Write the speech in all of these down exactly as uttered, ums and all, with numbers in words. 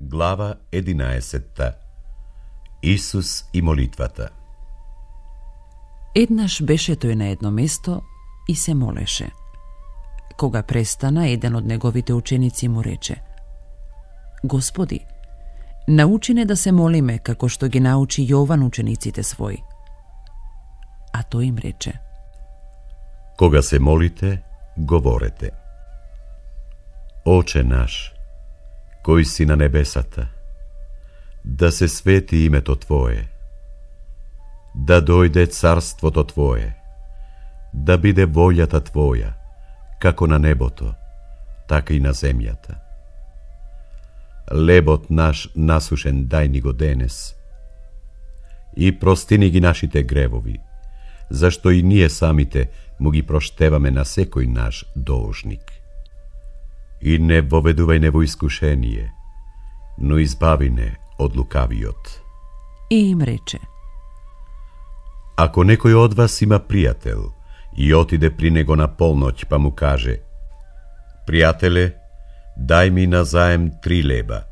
Глава единаесетта. Исус и молитвата. Еднаш беше тој на едно место и се молеше. Кога престана, еден од неговите ученици му рече: Господи, научи не да се молиме како што ги научи Јован учениците своји. А тој им рече: Кога се молите, говорете: Оче наш, кој си на небесата, да се свети името Твое, да дојде царството Твое, да биде волјата Твоја, како на небото, така и на земјата. Лебот наш насушен дај ни го денес, и простини ги нашите гревови, зашто и ние самите му ги проштеваме на секој наш должник. И не воведувај не во искушение, но избави не од лукавиот. И им рече: Ако некој од вас има пријател и отиде при него на полноќ, па му каже: Пријателе, дај ми назаем три леба,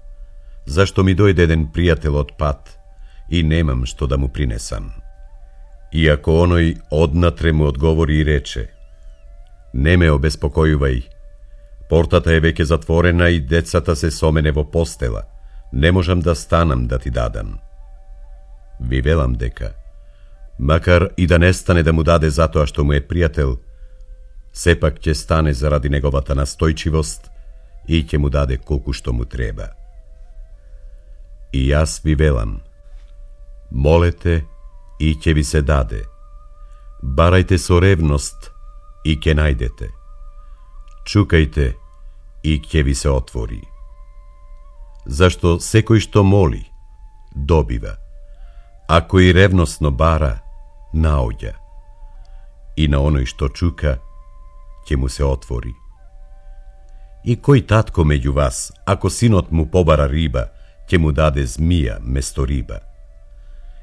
зашто ми дојде еден пријател од пат и немам што да му принесам. И ако оној однатре му одговори и рече: Не ме обеспокојувај, портата е веќе затворена и децата се со мене во постела, не можам да станам да ти дадам. Ви велам дека, макар и да не стане да му даде затоа што му е пријател, сепак ќе стане заради неговата настојчивост и ќе му даде колку што му треба. И јас ви велам, молете и ќе ви се даде, барајте со ревност и ќе најдете, чукајте и ќе ви се отвори. Зашто секој што моли, добива, а кој ревностно бара, наоѓа, и на оној што чука, ќе му се отвори. И кој татко меѓу вас, ако синот му побара риба, ќе му даде змија место риба?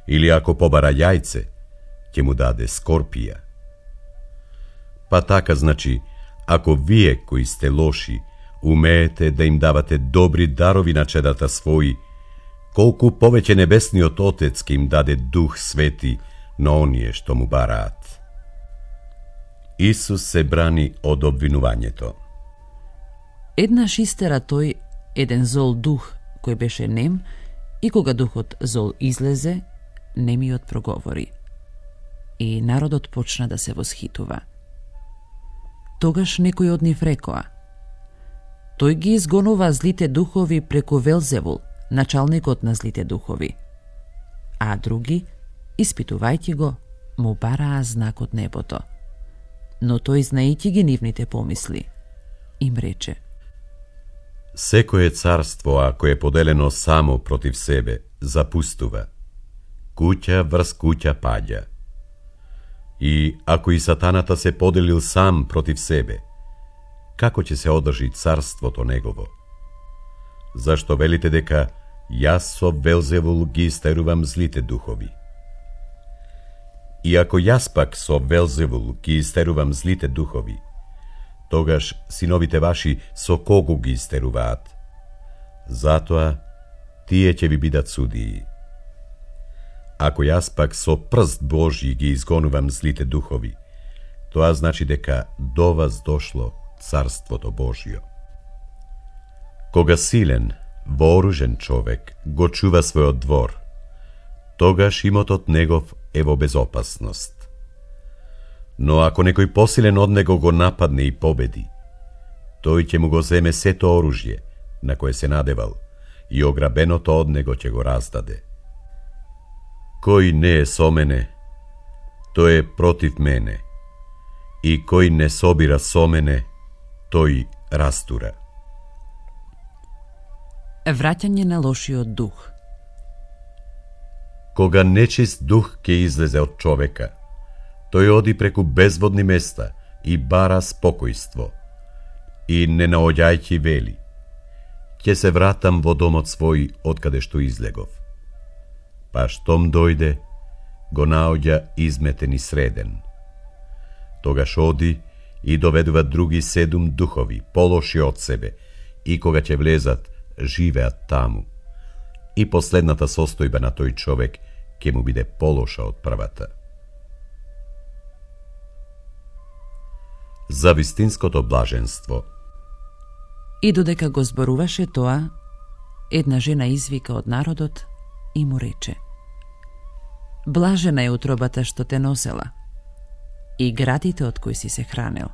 Или ако побара јајце, ќе му даде скорпија? Па така, значи, ако вие кои сте лоши, умеете да им давате добри дарови на чедата своји, колку повеќе небесниот Отец ќе им даде Дух Свети на оние што му бараат. Исус се брани од обвинувањето. Еднаш истера тој еден зол дух кој беше нем, и кога духот зол излезе, немиот проговори. И народот почна да се восхитува. Тогаш некој од нив рекоа: Тој ги изгонува злите духови преку Велзевул, началникот на злите духови. А други, испитувајќи го, му бараа знак од небото. Но тој, знаејќи ги нивните помисли, им рече: Секое царство, ако е поделено само против себе, запустува. Куќа врз куќа паѓа. И ако и сатаната се поделил сам против себе, како ќе се одржи царството негово? Зашто велите дека јас со Велзевул ги истерувам злите духови? И ако јас пак со Велзевул ги истерувам злите духови, тогаш синовите ваши со кого ги истеруваат? Затоа тие ќе ви бидат судии. Ако јас пак со прст Божји ги изгонувам злите духови, тоа значи дека до вас дошло Царството Божјо. Кога силен, вооружен човек го чува својот двор, тогаш имотот негов е во безопасност. Но ако некој посилен од него го нападне и победи, тој ќе му го земе сето оружје на кое се надевал и ограбеното од него ќе го раздаде. Кој не е со мене, тој е против мене, и кој не собира со мене, тој растура. Враќање на лошиот дух. Кога нечист дух ќе излезе од човека, тој оди преку безводни места и бара спокојство, и не наоѓајќи вели: Ќе се вратам во домот свој откаде што излегов. Па штом дојде, го наоѓа изметен и среден. Тогаш оди и доведува други седум духови, полоши од себе, и кога ќе влезат, живеат таму, и последната состојба на тој човек ќе му биде полоша од првата. За вистинското блаженство. И додека го зборуваше тоа, една жена извика од народот и му рече: Блажена е утробата што те носела и градите од кои си се хранел.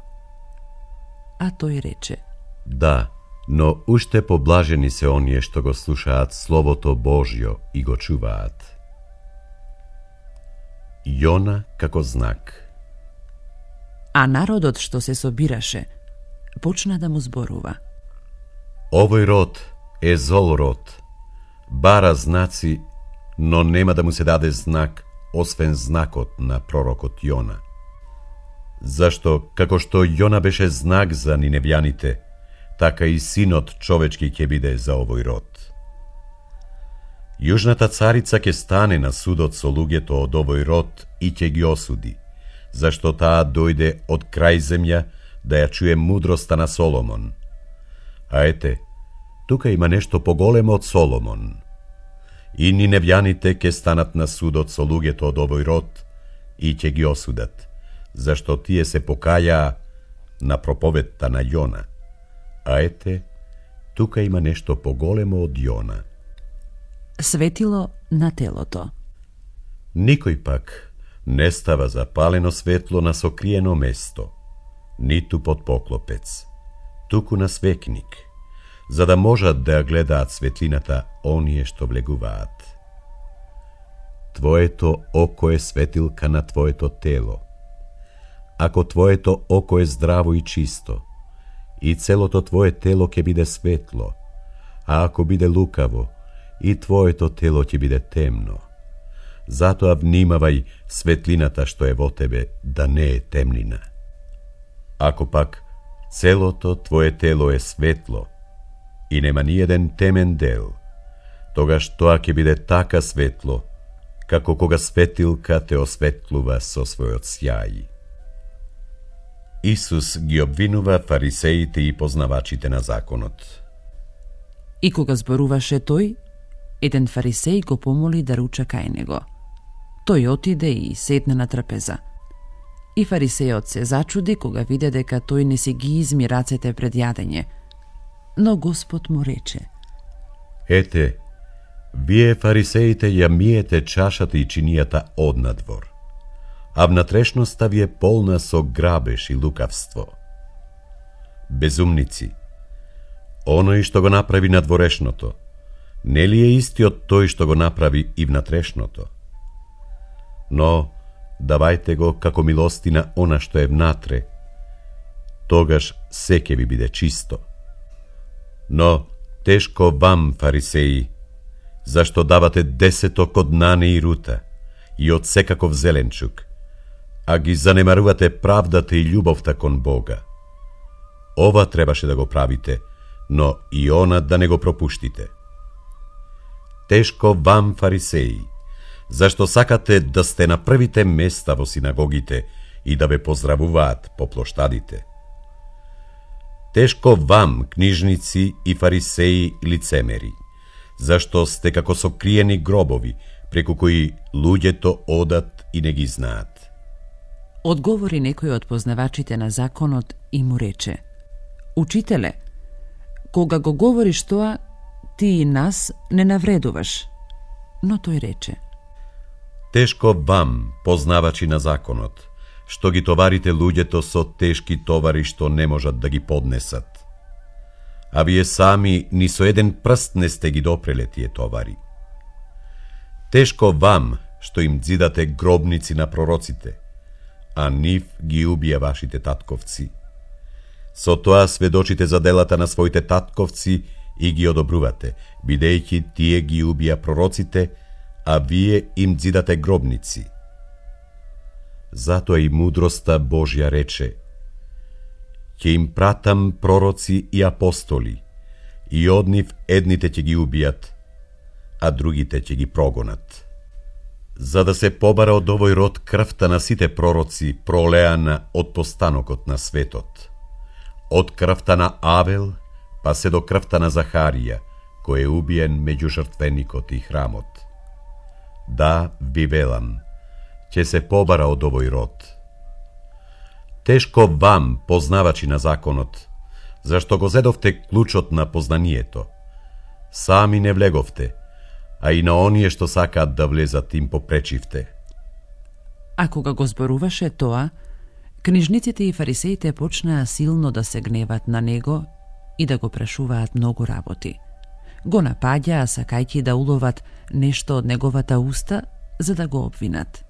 А тој рече: Да, но уште поблажени се оние што го слушаат Словото Божјо и го чуваат. Јона како знак. А народот што се собираше почна да му зборува: Овој род е зол род, бара знаци, но нема да му се даде знак, освен знакот на пророкот Јона. Зашто, како што Јона беше знак за ниневјаните, така и синот човечки ќе биде за овој род. Јужната царица ќе стане на судот со луѓето од овој род и ќе ги осуди, зашто таа дојде од крај земја да ја чуе мудроста на Соломон. А ете, тука има нешто поголемо од Соломон. И ниневјаните ќе станат на судот со луѓето од овој род и ќе ги осудат, зашто тие се покајаа на проповедта на Јона. А ете, тука има нешто поголемо од Јона. Светило на телото. Никој пак не става запалено светло на сокриено место, ниту под поклопец, туку на свекник, за да можат да ја гледаат светлината оние што влегуваат. Твоето око е светилка на твоето тело. Ако твоето око е здраво и чисто, и целото твое тело ќе биде светло, а ако биде лукаво, и твоето тело ќе биде темно. Затоа внимавај светлината што е во тебе да не е темнина. Ако пак целото твое тело е светло и нема ни еден темен дел, тогаш тоа ќе биде така светло, како кога светилка те осветлува со својот сјај. Исус ги обвинува фарисеите и познавачите на законот. И кога зборуваше тој, еден фарисеј го помоли да руча кај него. Тој отиде и седне на трапеза. И фарисејот се зачуди кога виде дека тој не си ги изми рацете пред јадење. Но Господ му рече: Ете, вие фарисеите ја миете чашата и чинијата однадвор, а внатрешноста ви е полна со грабеж и лукавство. Безумници, оној што го направи надворешното, нели е истиот тој што го направи и внатрешното? Но давајте го како милостина она што е внатре, тогаш се ќе ви биде чисто. Но тешко вам, фарисеи, зашто давате десето код нане и рута и од секаков зеленчук, а ги занемарувате правдата и љубовта кон Бога. Ова требаше да го правите, но и она да не го пропуштите. Тешко вам, фарисеи, зашто сакате да сте на првите места во синагогите и да ве поздравуваат по плоштадите. Тешко вам, книжници и фарисеи лицемери, зашто сте како сокриени гробови, преку кои луѓето одат и не ги знаат. Одговори некој од познавачите на законот и му рече: Учителе, кога го говориш тоа, ти и нас не навредуваш. Но тој рече: Тешко вам, познавачи на законот, што ги товарите луѓето со тешки товари што не можат да ги поднесат. А вие сами ни со еден прст не сте ги допреле тие товари. Тешко вам, што им дзидате гробници на пророците, а нив ги убија вашите татковци. Со тоа сведочите за делата на своите татковци и ги одобрувате, бидејќи тие ги убија пророците, а вие им дзидате гробници. Затоа и мудроста Божја рече: ќе им пратам пророци и апостоли, и од нив едните ќе ги убијат, а другите ќе ги прогонат. За да се побара од овој род крвта на сите пророци пролеана од постанокот на светот, од крвта на Авел па се до крвта на Захарија, кој е убиен меѓу жртвеникот и храмот. Да, ви велам, ќе се побара од овој род. Тешко вам, познавачи на законот, зашто го зедовте клучот на познанието. Сами не влеговте, а и на оние што сакаат да влезат им попречивте. А кога го зборуваше тоа, книжниците и фарисеите почнаа силно да се гневат на него и да го прашуваат многу работи. Го напаѓаа сакајќи да уловат нешто од неговата уста, за да го обвинат.